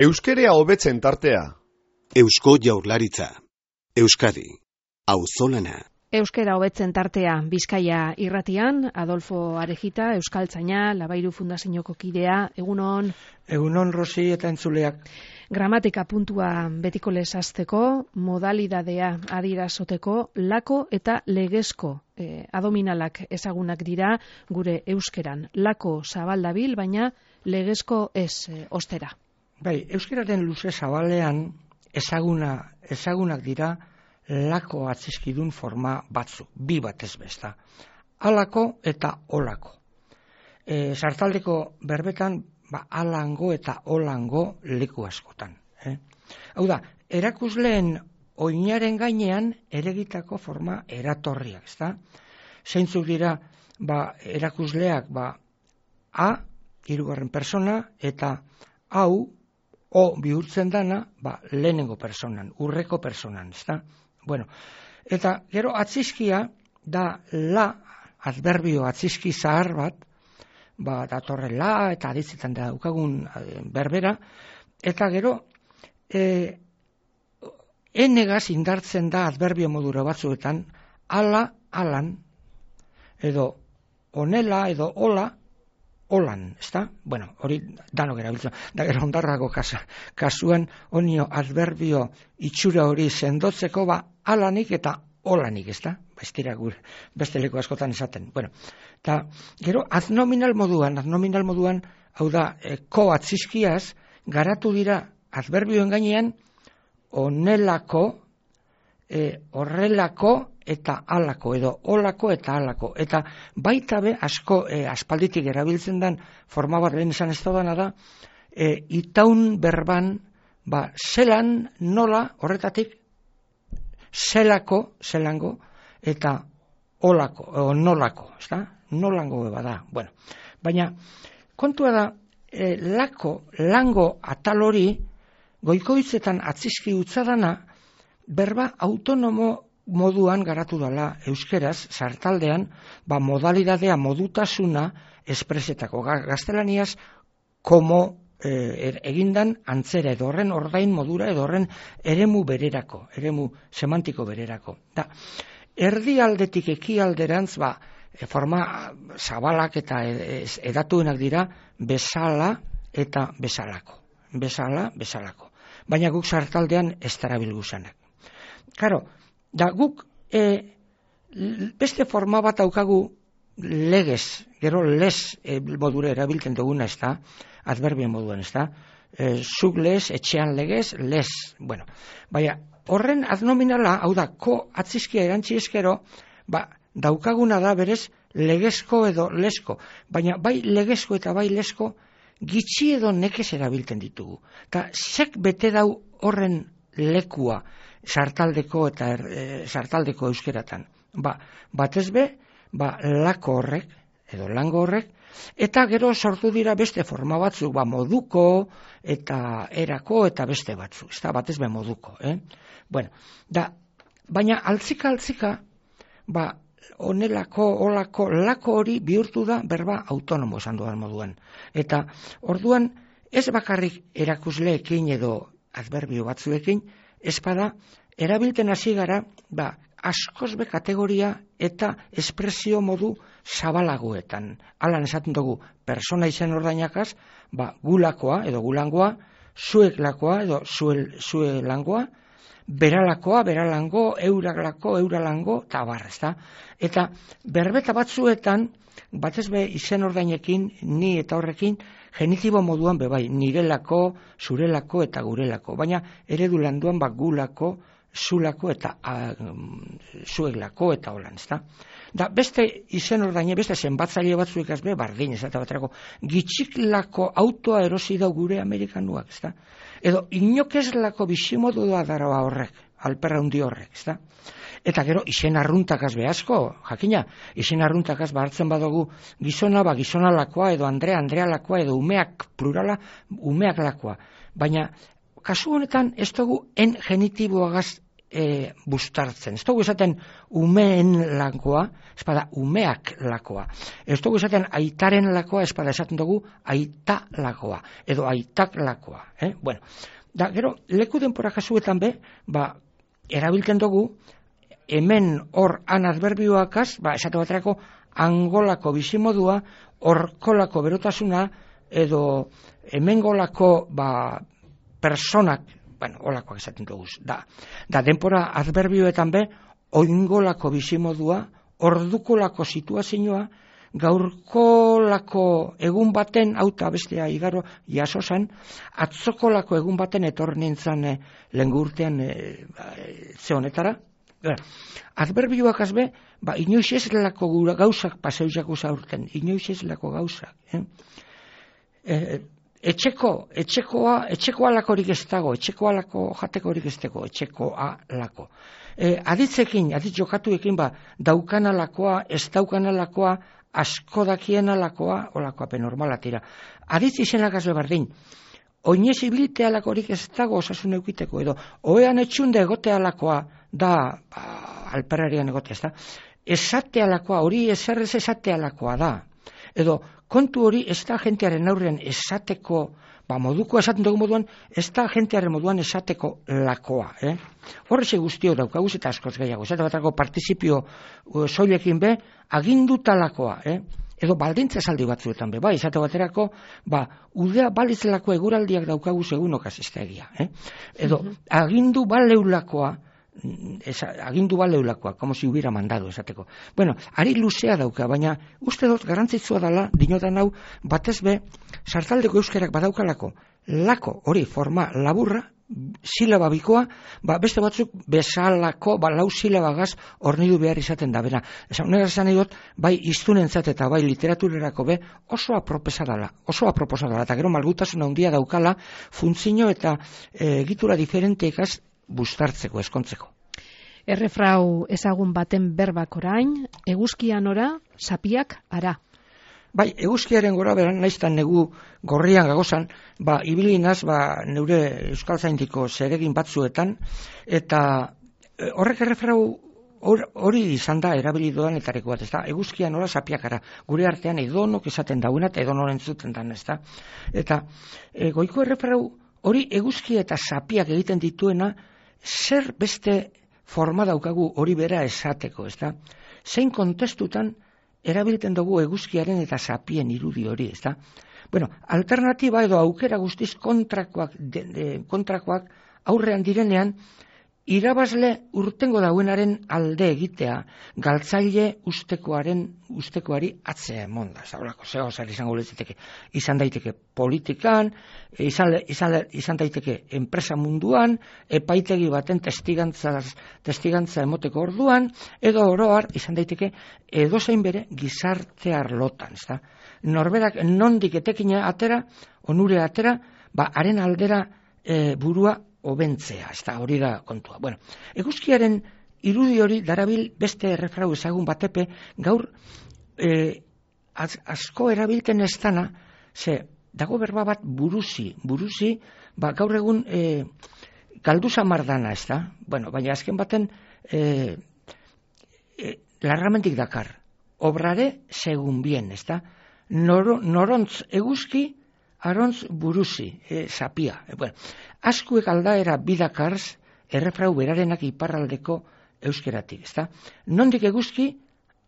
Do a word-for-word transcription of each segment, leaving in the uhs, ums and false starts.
Euskerea hobetzen tartea. Eusko Jaurlaritza. Euskadi. Auzolana. Euskera hobetzen tartea Bizkaia irratian, Adolfo Arejita, Euskaltzaina, Labairu Fundazioko kidea, egunon. Egunon, Rosi eta entzuleak. Gramatika puntua betiko lesazteko, modalidadea adirazoteko, lako eta legezko eh, adominalak ezagunak dira gure euskeran. Lako zabaldabil, baina legezko ez eh, ostera. Bai, euskeraren luze zabalean ezaguna, ezagunak dira lako atzizkidun forma batzuk, bi batez besta. Alako eta olako. E, sartaldeko berbetan, ba, alango eta olango leku askotan. Eh? Hau da, erakusleen oinaren gainean eregitako forma eratorriak, ezta? Zeintzuk dira, ba, erakusleak, ba, a, hirugarren persona, eta hau, o bihurtzen dana, ba, lehenengo personan, urreko personan, ezta? Bueno, eta gero atzizkia da la, adverbio atzizki zahar bat, ba, datorre la, eta aditzetan da daukagun berbera, eta gero, e, enegaz indartzen da adverbio modura batzuetan, ala, alan, edo onela, edo ola, olan, ezta? Bueno, hori danok erabiltzen. Da gero ondarrago kasa, kasuan onio adverbio itxura hori sendotzeko, ba, alanik eta olanik, ezta? Ba, ez dira gure, beste leku askotan esaten. Bueno, eta gero adnominal moduan, adnominal moduan, hau da, e, ko atzizkiaz, garatu dira adverbioen gainean, onelako, e, horrelako, eta alako, edo olako eta alako. Eta baita be, asko e, aspalditik erabiltzen den forma bat lehen esan ez dana da, e, itaun berban, ba, zelan, nola, horretatik, zelako, zelango, eta olako, o nolako, ezta? Nolango beba da. Bueno, baina, kontua da, e, lako, lango atal hori, goikoitzetan atzizki utzadana, berba autonomo moduan garatu dela euskeraz, sartaldean, ba, modalidadea, modutasuna espresetako. Gaztelaniaz, komo e, egindan antzera, edo horren ordain modura, edo horren eremu bererako, eremu semantiko bererako. Da, erdialdetik ekialderantz, ba, forma zabalak eta edatuenak dira, bezala eta bezalako. Bezala, bezalako. Baina guk sartaldean ez darabilguzanak. Karo, da guk e, beste forma bat daukagu legez, gero lez e, modura erabiltzen duguna, ez da, adverbien moduan, ez da, e, zuk lez, etxean legez, lez, bueno, baina horren adnominala, hau da, ko atzizkia erantzi eskero, ba, daukaguna da berez legezko edo lezko, baina bai legezko eta bai lezko gitxi edo nekez erabiltzen ditugu. Eta zek bete dau horren lekua, sartaldeko eta er, e, sartaldeko euskeratan. Ba, batez be, ba, lako horrek, edo lango horrek, eta gero sortu dira beste forma batzuk, ba, moduko, eta erako, eta beste batzuk, ez da, batez be moduko, eh? Bueno, da, baina altzika-altzika, ba, onelako, olako, lako hori bihurtu da berba autonomo esan dudan moduan. Eta, orduan, ez bakarrik erakusleekin edo adverbio batzuekin, espada, erabilten hasi gara, ba, askoz be kategoria eta espresio modu zabalagoetan. Alan esaten dugu, persona izen ordainakaz, ba, gulakoa edo gulangoa, zueklakoa edo zuel, zuelangoa, beralakoa, beralango, euraglako, euralango, eta barra, ezta? Eta berbeta batzuetan, batez be izen ordainekin, ni eta horrekin, genitibo moduan bebai, nirelako, zurelako eta gurelako. Baina eredu landuan bak gulako, zulako eta a, zueglako eta holan, ezta? Da beste izen ordaine, beste zenbatzaile batzuek azbe, bardin, ez eta baterako, gitxiklako autoa erosi da gure amerikanuak, ezta? Edo inokezlako bizimodua dara horrek, alperra hundi horrek, ezta? Eta gero, izen arruntakaz behazko, jakina, izen arruntakaz hartzen badugu gizona, ba, gizonalakoa, edo Andrea, Andrealakoa, edo umeak plurala, umeak lakoa. Baina, kasu honetan, ez dugu en genitiboagaz e, bustartzen. Ez dugu esaten umeen lakoa, ez bada umeak lakoa. Ez dugu esaten aitaren lakoa, ez bada esaten dugu aita lakoa, edo aitak lakoa. Eh? Bueno, da, gero, leku denpora kasuetan be, ba, erabiltzen dugu, hemen hor an adverbioakaz, ba, esate baterako, angolako bizimodua, horkolako berotasuna, edo hemengolako ba, personak, bueno, olakoak esaten dugu, da, da denpora adverbioetan be, oingolako bizimodua, ordukolako situazioa, gaurkolako egun baten, auta bestea igaro jasosan, atzokolako egun baten etor nintzen e, lengurtean e, e, ze honetara. Adverbioak azbe, ba, inoiz ez lako gauzak paseuzak usaurten, inoiz ez lako gauzak. Eh? E, etxeko, etxekoa, etxeko alakorik ez dago, etxeko alako jatekorik ez dago, etxeko alako. E, aditzekin, aditz jokatuekin, ba, daukan alakoa, ez daukan alakoa, asko dakien alakoa, olakoa penormala tira. Aditz izenak azbe bardin, oinez ibilite alakorik ez dago osasun eukiteko, edo, oean etxunde egote alakoa, da, ba, alperarian egote, ez da, esate alakoa, hori eserrez esate alakoa da, edo, kontu hori ez da jentearen aurrean esateko, ba, moduko esaten dugu moduan, ez da jentearen moduan esateko lakoa. Eh? Horreze guztio daukaguz eta askoz gehiago. Esate batako partizipio uh, soilekin be, aginduta lakoa. Eh? Edo baldintza esaldi batzuetan be. Ba, esate baterako, ba, udea balitzelako eguraldiak daukaguz egunokaz ez da egia. Eh? Edo agindu baleulakoa, Esa, agindu baleulakoa, como si hubiera mandado esateko. Bueno, ari luzea dauka, baina uste dut garrantzitsua dela, dinotan hau, batez be, sartaldeko euskerak badaukalako, lako, hori, forma laburra, silaba bikoa, ba, beste batzuk bezalako, ba, lau silabagaz hornidu behar izaten da, bera. Eza, unera esan edot, bai iztunentzat eta bai literaturerako be, oso apropesa dela, oso aproposa dela, eta gero malgutasuna handia daukala, funtzio eta e, egitura diferenteekaz bustartzeko, eskontzeko. Errefrau ezagun baten berbak orain, eguzkian ora, sapiak ara. Bai, eguzkiaren gora beran, naiztan negu gorrian gagozan, ba, ibilinaz, ba, neure euskaltzaindiko zeregin batzuetan, eta e, horrek errefrau hori izan da erabili doan etareko bat, ez da, eguzkian ora, sapiak ara. Gure artean edonok esaten dauna, eta edonoren zuten dan, ez da. Eta e, goiko errefrau hori eguzkia eta sapiak egiten dituena, zer beste forma daukagu hori bera esateko, ez da? Zein kontestutan erabiltzen dugu eguzkiaren eta sapien irudi hori, ez da? Bueno, alternatiba edo aukera guztiz kontrakoak, de, de, kontrakoak aurrean direnean, irabazle urtengo dauenaren alde egitea, galtzaile ustekoaren ustekoari atzea emonda. Zaurako, zego zer izango letziteke. Izan daiteke politikan, izan, izan, izan daiteke enpresa munduan, epaitegi baten testigantza, testigantza emoteko orduan, edo oroar izan daiteke edozein bere gizarte arlotan. Ezta? Norberak nondik etekina atera, onure atera, ba, haren aldera e, burua obentzea, ez da, hori da kontua. Bueno, eguzkiaren irudi hori darabil beste errefrau ezagun batepe, gaur eh, az, asko erabilten ez dana, ze, dago berba bat buruzi, buruzi, ba, gaur egun eh, galdu zamardana, ez da, bueno, baina azken baten eh, eh, larramentik dakar, obrare segun bien, ez da, Nor, norontz eguzki, arontz buruzi, e, sapia. E, bueno, askuek aldaera bidakarz, errefrau berarenak iparraldeko euskeratik, ezta? Nondik eguzki,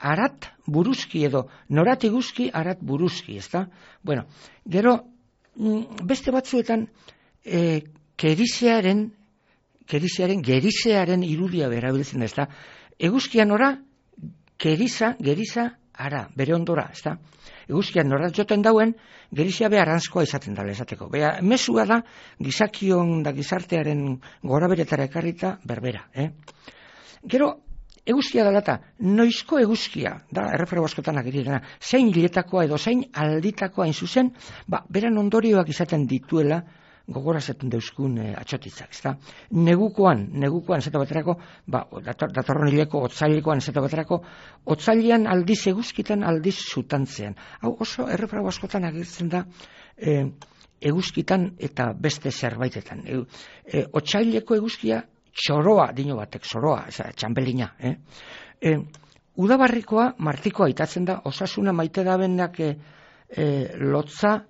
arat buruzki edo, norat eguzki, arat buruzki, ezta? Bueno, gero, beste batzuetan, e, kerizearen, kerizearen, gerizearen irudia berabiltzen, ezta? Eguzkian ora, keriza, geriza, ara, bere ondora, ezta? Eguzkian norat joten dauen, gerizia be arantzkoa izaten dala esateko. Bea, mesua da, gizakion da gizartearen gora beretara ekarrita berbera. Eh? Gero, eguzkia dalata, noizko eguzkia, da, errefrau askotan agirirena, zein hiletakoa edo zein alditakoa hain zuzen, ba, beran ondorioak izaten dituela, gogorazetan deuzkun e, atxotitzak, ezta? Negukoan, negukoan, zeta baterako, ba, dator, datorron hileko, otzailekoan, zeta baterako, otzailean aldiz eguzkitan, aldiz zutantzean. Hau oso errefrau askotan agertzen da e, eguzkitan eta beste zerbaitetan. E, e, otzaileko eguzkia txoroa, dino batek, zoroa, txambelina, eh? E, udabarrikoa martikoa aitatzen da, osasuna maite da benak e, e, lotza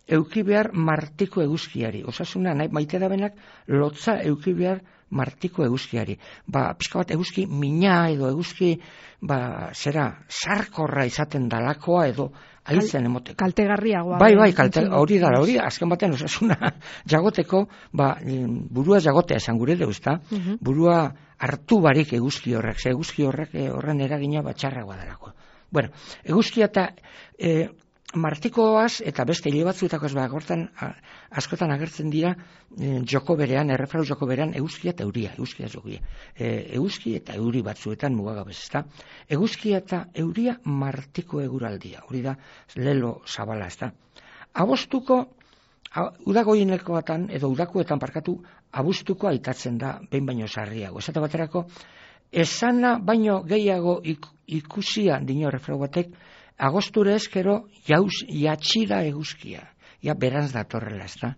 euki behar martiko eguzkiari. Osasuna nahi maite da benak lotza euki behar martiko eguzkiari. Ba, pixka bat eguzki mina edo eguzki, ba, zera, sarkorra izaten dalakoa edo aitzen emoteko. Kaltegarriagoa. Bai, bai, kalte, hori da, hori, azken batean osasuna jagoteko, ba, burua jagotea esan gure dugu, ezta? Uh-huh. Burua hartu barik eguzki horrek, ze eguzki horrek horren eragina batxarragoa delako. Bueno, eguzkia eta e, martikoaz eta beste hile batzuetako ez bagortan askotan agertzen dira e, joko berean, errefrau joko berean eguzkia eta euria, eguzkia jokia. E, eguzki eta euri batzuetan mugagabez, ezta? Eguzkia eta euria martiko eguraldia, hori da lelo zabala, ezta? Abostuko, udagoienekoatan edo udakoetan parkatu, abuztuko aitatzen da behin baino sarriago. Esate baterako, esana baino gehiago ik, ikusia dino errefrau batek, agosture eskero jauz jatxira eguzkia. Ja, beranz datorrela, ez da?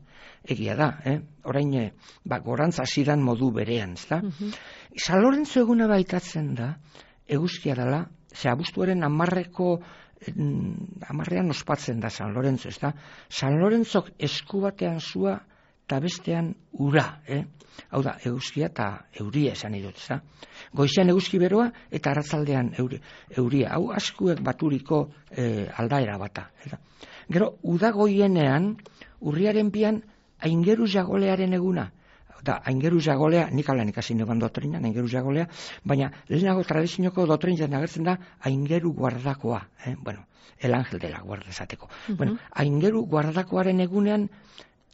Egia da, eh? Orain, eh, ba, gorantz hasiran modu berean, ez da? Uh-huh. San Lorenzo eguna baitatzen da, eguzkia dela, ze abuztuaren amarreko, amarrean ospatzen da San Lorenzo, ez da? San Lorenzok esku batean zua eta bestean ura, eh? Hau da, eguzkia eta euria esan idut, ez da? Goizean eguzki beroa eta arratzaldean euri, euria. Hau askuek baturiko eh, aldaera bata. Eta. Gero, udagoienean, urriaren bian, aingeru jagolearen eguna. Da, aingeru jagolea, nik alan ikasi neban dotrinan, aingeru jagolea, baina lehenago tradizioko dotrinan agertzen da aingeru guardakoa. Eh? Bueno, el ángel de la guarda esateko. Uh-huh. Bueno, aingeru guardakoaren egunean,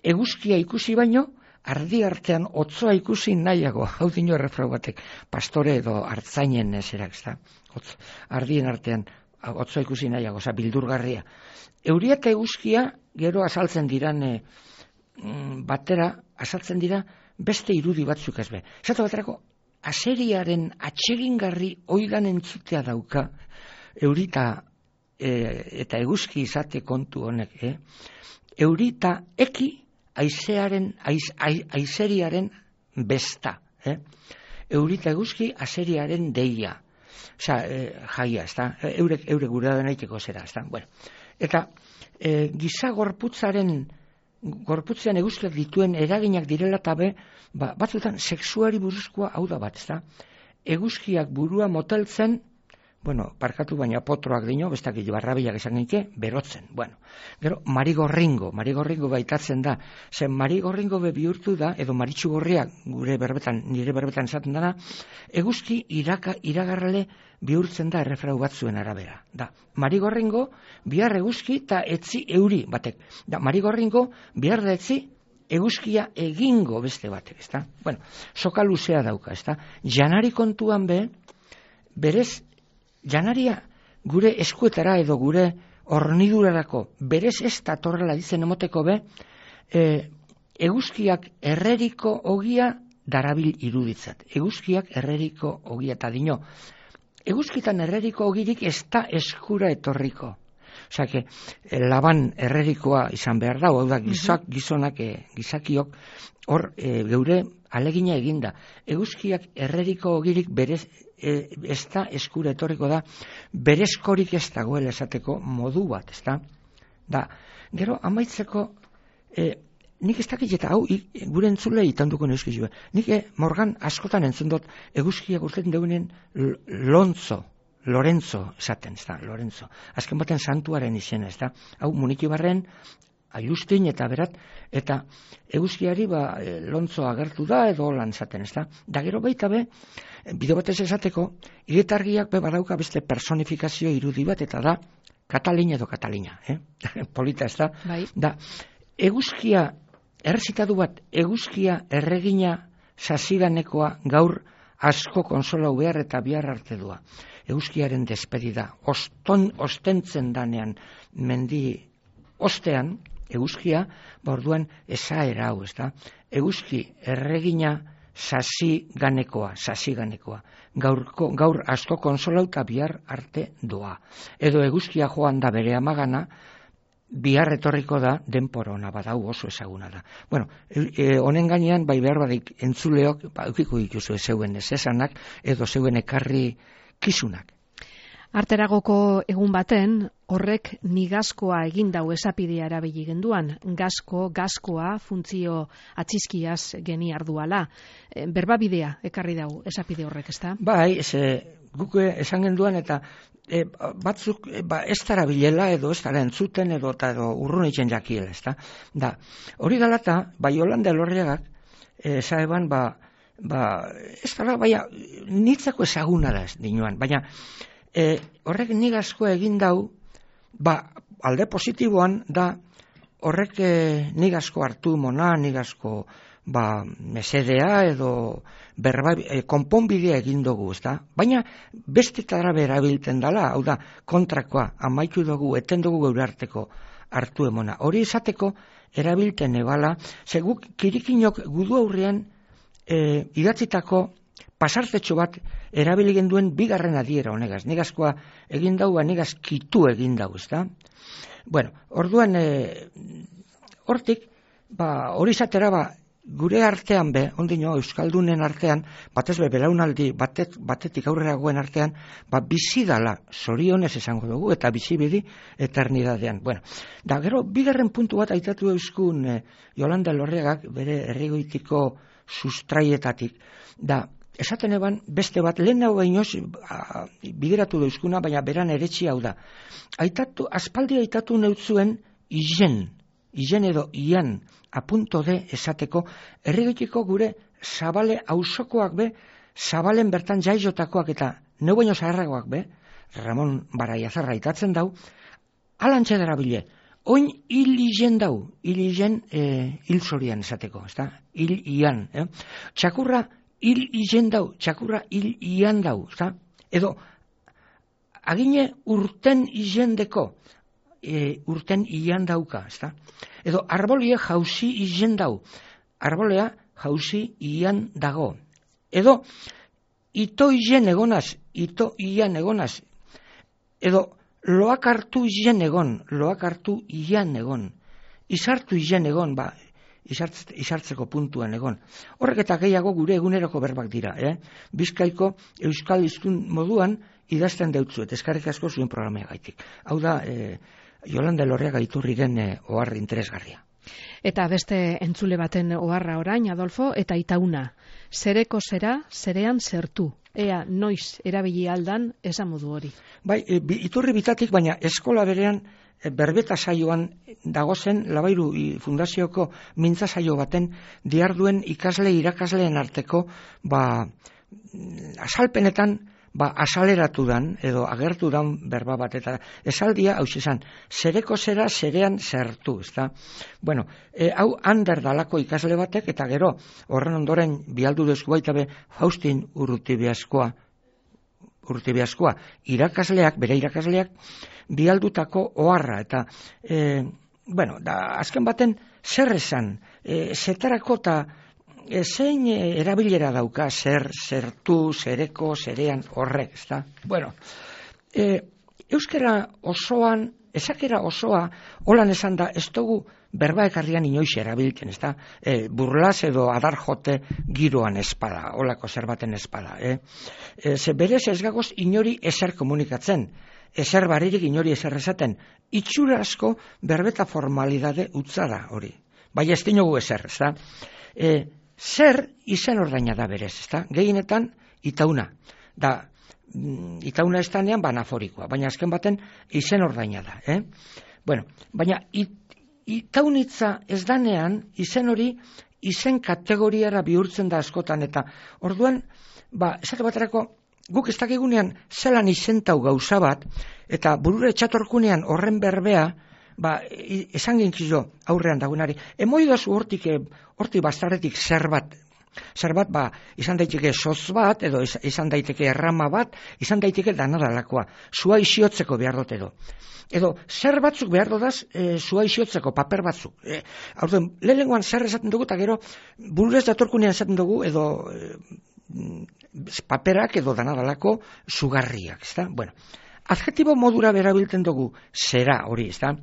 eguzkia ikusi baino, ardi artean otzoa ikusi nahiago, hau dino errefrau batek, pastore edo hartzainen eserak, ez da, Otz, ardien artean otzoa ikusi nahiago, oza, bildurgarria. Euria eta eguzkia, gero azaltzen diran e, batera, azaltzen dira beste irudi batzuk ez be. Zato baterako, aseriaren atsegingarri oigan entzutea dauka, eurita e, eta eguzki izate kontu honek, eh? Eurita eki, aizearen, aiz, aiz, aizeriaren besta. Eh? Eurita eguzki, aseriaren deia. Osa, eh, jaia, ez da? Eurek, eurek gure da naiteko zera, ez da? Bueno. Eta eh, giza gorputzaren, gorputzean eguzkiak dituen eraginak direla tabe, ba, batzutan sexuari buruzkoa hau da bat, ez da? Eguzkiak burua moteltzen, bueno, parkatu baina potroak dino, bestak barrabilak esan genike, berotzen. Bueno, gero, marigorringo, marigorringo baitatzen da. Zen marigorringo be bihurtu da, edo maritxu gorriak, gure berbetan, nire berbetan esaten dana, eguzki iraka, iragarrale bihurtzen da errefrau batzuen arabera. Da, marigorringo, bihar eguzki eta etzi euri batek. Da, marigorringo, bihar da etzi eguzkia egingo beste batek, ezta? Bueno, soka luzea dauka, ezta? Janari kontuan be, berez, janaria gure eskuetara edo gure hornidurarako berez ez datorrela dizen emoteko be, e, eguzkiak erreriko ogia darabil iruditzat. Eguzkiak erreriko ogia eta dino. Eguzkitan erreriko ogirik ez da eskura etorriko. Osa, que, laban errerikoa izan behar da, hau da, gizak, gizonak, e, gizakiok, hor, e, geure alegina eginda. Eguzkiak erreriko ogirik berez, e, ez da eskura etorriko da, berezkorik ez dagoela esateko modu bat, ez da? Da, gero, amaitzeko, e, nik ez dakit eta hau, i, gure entzule itanduko neuzkizu, nik e, morgan askotan entzun dut, eguzkiak urtetan deunen Lontzo, Lorenzo esaten, ez da, Lorenzo. Azken baten santuaren izena, ez da. Hau, Muniki Barren, Aiustin eta berat, eta eguzkiari ba, Lontzo agertu da edo lan esaten, ez da. Da gero baita be, bideo batez esateko, iretargiak be badauka beste personifikazio irudi bat, eta da, Katalina edo Katalina, eh? Polita, ez da. Bai. Da, eguzkia, errezitadu bat, eguzkia erregina sasiganekoa gaur asko konsolau behar eta bihar arte dua. Eguzkiaren despedida, oston, ostentzen danean mendi ostean, eguzkia, borduan esaera hau, ez da? Eguzki erregina sasi ganekoa, sasi ganekoa. Gaurko, gaur asko konsolau eta bihar arte doa. Edo eguzkia joan da bere amagana, bihar etorriko da denporona badau oso ezaguna da. Bueno, e, honen gainean bai behar badik entzuleok ba, eukiko dituzu zeuen ez esanak edo zeuen ekarri kizunak. Arteragoko egun baten, horrek nigazkoa egin dau esapidea erabili genduan, gasko, gaskoa, funtzio atxizkiaz geni arduala. E, berbabidea ekarri dau esapide horrek, ezta? Bai, ze, guk esan genduan eta e, batzuk e, ba, ez dara bilela edo ez dara entzuten edo eta edo urrunitzen jakiela, ezta? Da, hori galata, bai Yolanda Elorriagak, e, zaeban, ba, ba, ez dara, baina, nitzako ezaguna da ez dinuan, baina, E, horrek nigazko egin dau, ba, alde positiboan da, horrek e, nigazko hartu mona, nigazko ba, mesedea edo berba, e, konponbidea egin dugu, ezta? Baina bestetara berabilten dala, hau da, kontrakoa, amaitu dugu, eten dugu geure arteko hartu emona. Hori izateko, erabilten ebala, seguk kirikinok gudu aurrean e, idatzitako pasartetxo bat erabili genduen bigarren adiera honegaz. Nigazkoa egin dau, nigaz kitu egin dau, ezta? Bueno, orduan, e, hortik, ba, hori zatera, ba, gure artean be, ondino, Euskaldunen artean, batez be, belaunaldi batet, batetik aurrera goen artean, ba, bizi dala, zorionez esango dugu, eta bizi bidi eternidadean. Bueno, da, gero, bigarren puntu bat aitatu euskun e, Yolanda Elorriagak, bere errigoitiko sustraietatik, da, esaten eban, beste bat, lehen hau gainoz, bideratu dauzkuna, baina beran eretxi hau da. Aitatu, aspaldi aitatu neutzuen izen, izen edo ian, apunto de esateko, errigoitiko gure zabale ausokoak be, zabalen bertan jaizotakoak eta neu baino zaharragoak be, Ramon Baraiazarra aitatzen dau, alantxe dara bile, oin hil izen dau, hil izen e, hil zorian esateko, ezta? Hil ian, eh? Txakurra hil izen dau, txakurra hil ian dau, ezta? Edo, agine urten izendeko, e, urten ian dauka, ezta? Edo, arbolia jauzi izen dau, arbolea jauzi ian dago. Edo, ito izen egonaz, ito ian egonaz. Edo, loak hartu izen egon, loak hartu ian egon. Izartu izen egon, ba, Izartz, izartzeko puntuan egon. Horrek eta gehiago gure eguneroko berbak dira. Eh? Bizkaiko euskal hiztun moduan idazten deutzuet, eskarrik asko zuen programea gaitik. Hau da, eh, Yolanda Elorriaga iturriren eh, ohar interesgarria. Eta beste entzule baten oharra orain, Adolfo, eta itauna. Zereko zera, zerean zertu. Ea noiz erabili aldan esamodu hori. Bai, e, iturri bitatik, baina eskola berean e, berbeta saioan dagozen Labairu fundazioko mintza saio baten diarduen ikasle irakasleen arteko ba, asalpenetan ba, asaleratu dan edo agertu dan berba bat eta esaldia hau izan, zereko zera zerean zertu, ezta? Bueno, e, hau ander dalako ikasle batek eta gero horren ondoren bialdu dezku baita be Faustin Urrutibiaskoa Urrutibiaskoa irakasleak, bere irakasleak bialdutako oharra eta e, bueno, da, azken baten zer esan, e, zetarako eta E, zein erabilera dauka zer, zertu, zereko, zerean horrek, ezta? Bueno, e, euskera osoan, ezakera osoa, holan esan da, ez dugu berba ekarrian inoiz erabiltzen, ezta? E, burlaz edo adar jote giroan espada, holako zerbaten espada, eh? E, ze berez ez gagoz inori ezer komunikatzen, ezer baririk inori ezer esaten, itxura asko berbeta formalidade utzada hori, bai ez dinogu ezer, ezta? E, Zer izen ordaina da berez, ezta? Gehienetan itauna. Da, itauna estanean banaforikoa, baina azken baten izen ordaina da, eh? Bueno, baina it, itaunitza ez danean izen hori izen kategoriara bihurtzen da askotan eta orduan, ba, esate baterako guk ez dakigunean zelan izentau gauza bat eta burure txatorkunean horren berbea ba, esan gintzio aurrean dagoenari, emoidazu hortik, hortik bastarretik zer bat, zer bat, ba, izan daiteke soz bat, edo izan daiteke errama bat, izan daiteke danadalakoa, zua isiotzeko behar dut edo. Edo, zer batzuk behar dodaz, e, zua isiotzeko paper batzuk. E, Aurten, lehenengoan zer esaten dugu, eta gero, bururez datorkunean esaten dugu, edo e, paperak edo danadalako sugarriak, ezta? Bueno, adjetibo modura berabiltzen dugu zera hori, ezta?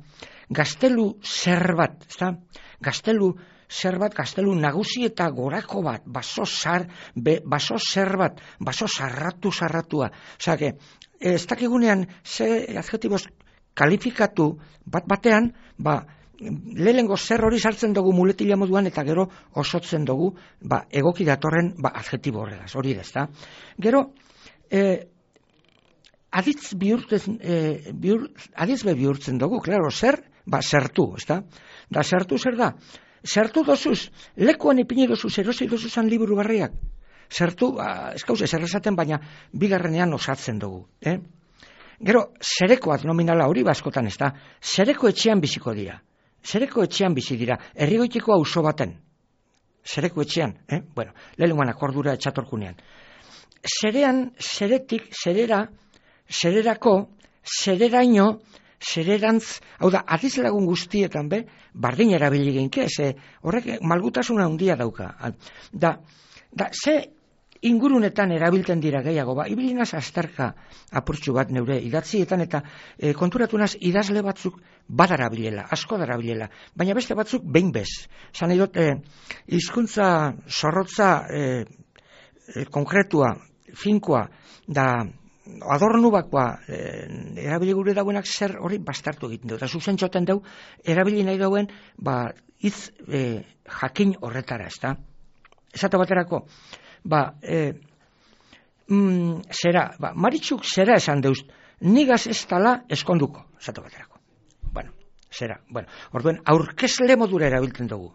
gaztelu zer bat, ezta? Gaztelu zer bat, gaztelu nagusi eta gorako bat, baso zar, be, baso zer bat, baso sarratu sarratua. Osea, ez dakigunean ze adjetiboz kalifikatu bat batean, ba, lehengo zer hori sartzen dugu muletila moduan eta gero osotzen dugu ba, egoki datorren ba, adjetibo horregaz, hori da, ezta? Gero, eh, aditz bihurtzen, eh, bihur, aditz be bihurtzen dugu, klaro, zer, ba, zertu, ezta? Da, zertu zer da? Zertu dozuz, lekuan ipini dozuz, erosi dozuzan liburu barriak. Zertu, ba, ez gauz, ez errezaten, baina bigarrenean osatzen dugu, eh? Gero, zerekoak nominala hori baskotan, ez da? Zereko etxean biziko dira. Zereko etxean bizi dira, herrigoiteko auzo baten. Zereko etxean, eh? Bueno, lehenguan akordura etxatorkunean. Zerean, zeretik, zerera, zererako, zereraino, zererantz, hau da, adiz lagun guztietan be, bardin erabili genke, ze horrek malgutasuna handia dauka. Da, da, ze ingurunetan erabiltzen dira gehiago, ba, ibilinaz azterka apurtxu bat neure idatzietan eta e, konturatunaz idazle batzuk badarabilela, asko darabilela, baina beste batzuk behin bez. Zan edot, e, hizkuntza zorrotza e, e, konkretua, finkoa, da adornubakoa e, erabili gure dauenak zer hori bastartu egiten du. Eta zuzen txoten dau, erabili nahi dauen, ba, hitz e, jakin horretara, ez da? Esate baterako, ba, e, mm, zera, ba, Maritxuk zera esan deuz, nigaz ez tala eskonduko, esate baterako. Bueno, zera, bueno, orduen, aurkezle modura erabiltzen dugu.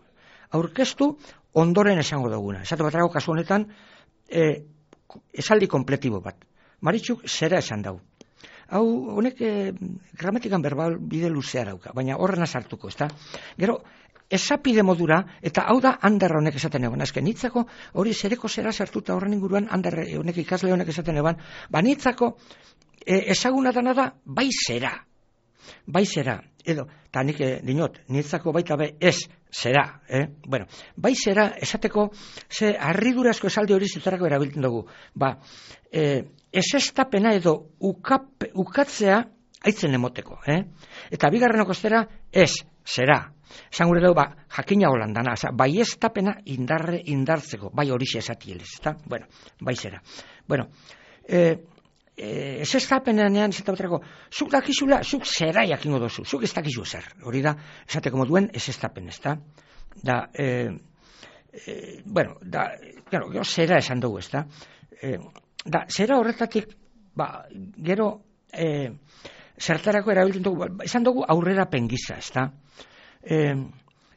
Aurkeztu ondoren esango duguna. Esate baterako kasu honetan, e, esaldi kompletibo bat. Maritxuk zera esan dau. Hau, honek e, gramatikan berbal bide luzea dauka, baina horrena sartuko, ezta? Gero, esapide modura, eta hau da handarra honek esaten eban. Azken, nitzako hori zereko zera sartuta horren inguruan handarra honek ikasle honek esaten eban. Ba, nitzako e, ezaguna dana da, bai zera. Bai zera. Edo, eta nik e, dinot, nitzako baita be ez zera. Eh? Bueno, bai zera esateko ze harridurazko esaldi hori zitarako erabiltzen dugu. Ba, e, ez estapena edo ukap, ukatzea aitzen emoteko. Eh? Eta bigarrenoko zera ez zera. Esan gure dugu, ba, jakina holandana, bai ez tapena indarre indartzeko, bai horixe esatielez, eta, bueno, bai zera. Bueno, e, e, ez ez tapenean, ez eta baterako, zuk dakizula, zuk zera jakingo dozu, zuk ez dakizu ezer, hori da, esateko moduen ez ez tapen, ez da, da, e, e, bueno, da, claro, gero zera esan dugu, ez da, e, da, zera horretatik, ba, gero, e, zertarako erabiltzen dugu, esan dugu aurrera pengiza, ez da, E,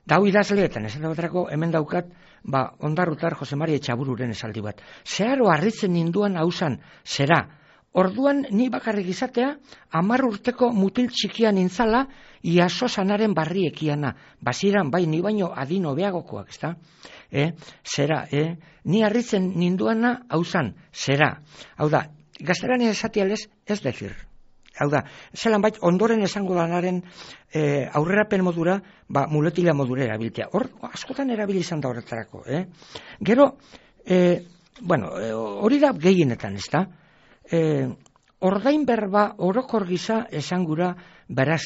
dau idazleetan, esan dagoetarako hemen daukat, ba, ondarrutar Jose Maria Etxabururen esaldi bat. Zeharo harritzen ninduan hausan, zera, orduan ni bakarrik izatea, hamar urteko mutil txikian nintzala, iaso sanaren barriekiana, baziran bai ni baino adin hobeagokoak, ezta? E, zera, e, ni harritzen ninduana hausan, zera. Hau da, gaztelania esatialez ez decir. Hau da, zelan bait, ondoren esango lanaren e, aurrerapen modura, ba, muletila modura erabiltea. Hor, askotan erabili izan da horretarako. Eh? Gero, e, bueno, hori da gehienetan, ez da? E, ordain berba orokor gisa esangura beraz,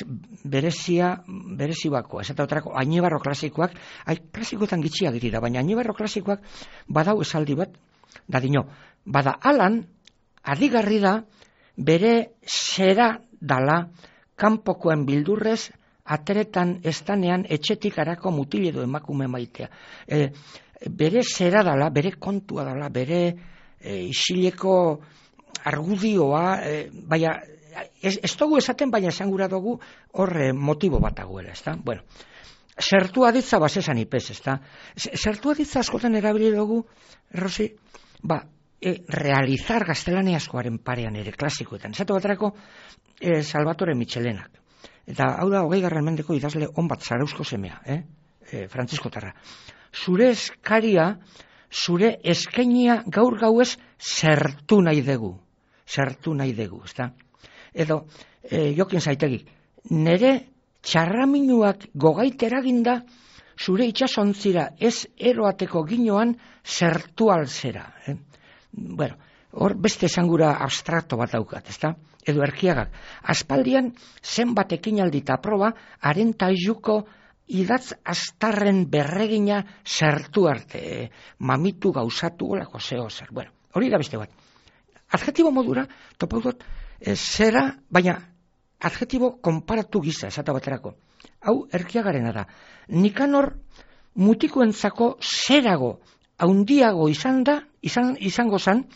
berezia, berezi bakoa. Ez eta otarako, Añebarro klasikoak, ai, klasikoetan gitxiak dira, baina Añebarro klasikoak badau esaldi bat, da dino, bada alan, adigarri da, bere zera dala kanpokoen bildurrez ateretan estanean etxetik harako mutil edo emakume maitea. E, bere zera dala, bere kontua dala, bere e, isileko argudioa, e, baina ez, ez dugu esaten, baina esan gura dugu horre motibo bat dagoela, ez da? Bueno, zertu aditza basesan ipez, ez da? Zertu aditza askotan erabili dugu, Rosi, ba, E, realizar gaztelaniazkoaren parean ere klasikoetan. Zato baterako e, Salvatore Michelenak. Eta hau da, hogei garren mendeko idazle on bat Zarauzko semea, eh? e, Frantziskotarra. Zure eskaria, zure eskainia gaur gauez zertu nahi dugu. Zertu nahi dugu, ezta? Edo, e, jokin zaitegi, nere txarraminuak gogait eraginda, zure itxasontzira ez eroateko ginoan zertu alzera, eh? Bueno, hor beste esangura abstrakto bat daukat, ezta? edo Erkiagak. Aspaldian zenbat ekinaldi eta proba haren tailuko idatz astarren berregina sartu arte, mamitu gauzatu olako zeo zer. Bueno, hori da beste bat. Adjetibo modura, topau dut, e, zera, baina adjetibo konparatu gisa, esata baterako. Hau Erkiagarena da. Nikanor mutikoentzako zerago, haundiago izan da, izan, izango zan,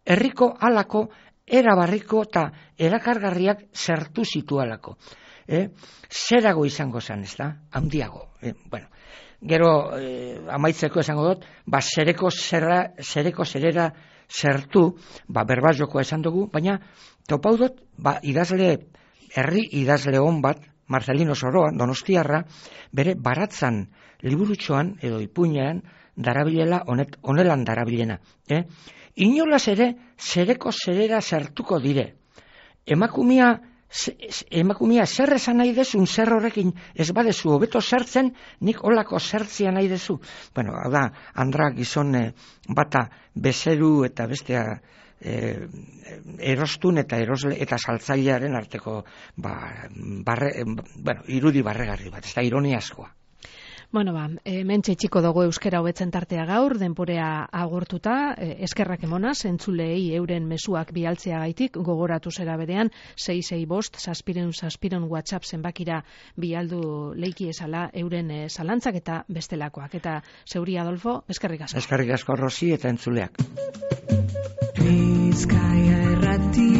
herriko halako, erabarriko eta erakargarriak zertu zitualako. Eh? Zerago izango zan, ez da? Haundiago. Eh, bueno, gero eh, amaitzeko esango dut, ba, zereko zerra, zereko zerera zertu, ba, berbazokoa esan dugu, baina topau dut, ba, idazle, herri idazle hon bat, Marcelino Soroa, Donostiarra, bere baratzan liburutxoan edo ipuinean darabilela, honet, honelan darabilena. Eh? Inolaz ere, zereko zerera zertuko dire. Emakumia, emakumia zer esan nahi dezun, zer horrekin ez badezu hobeto zertzen, nik olako zertzia nahi dezu. Bueno, hau da, Andra gizon eh, bata bezeru eta bestea eh, erostun eta erosle eta saltzailearen arteko ba, barre, bueno, irudi barregarri bat, ez da ironia askoa. Bueno, ba, e, mentxe txiko dugu euskera hobetzen tartea gaur, denporea agortuta, e, eskerrak emonaz, entzulei euren mezuak bialtzea gaitik, gogoratu zera berean, sei sei bost, saspiren saspiren WhatsApp zenbakira bialdu leiki esala euren e, zalantzak eta bestelakoak. Eta zeuri Adolfo, eskerrik asko. Eskerrik asko Rosi eta entzuleak. Bizkaia errati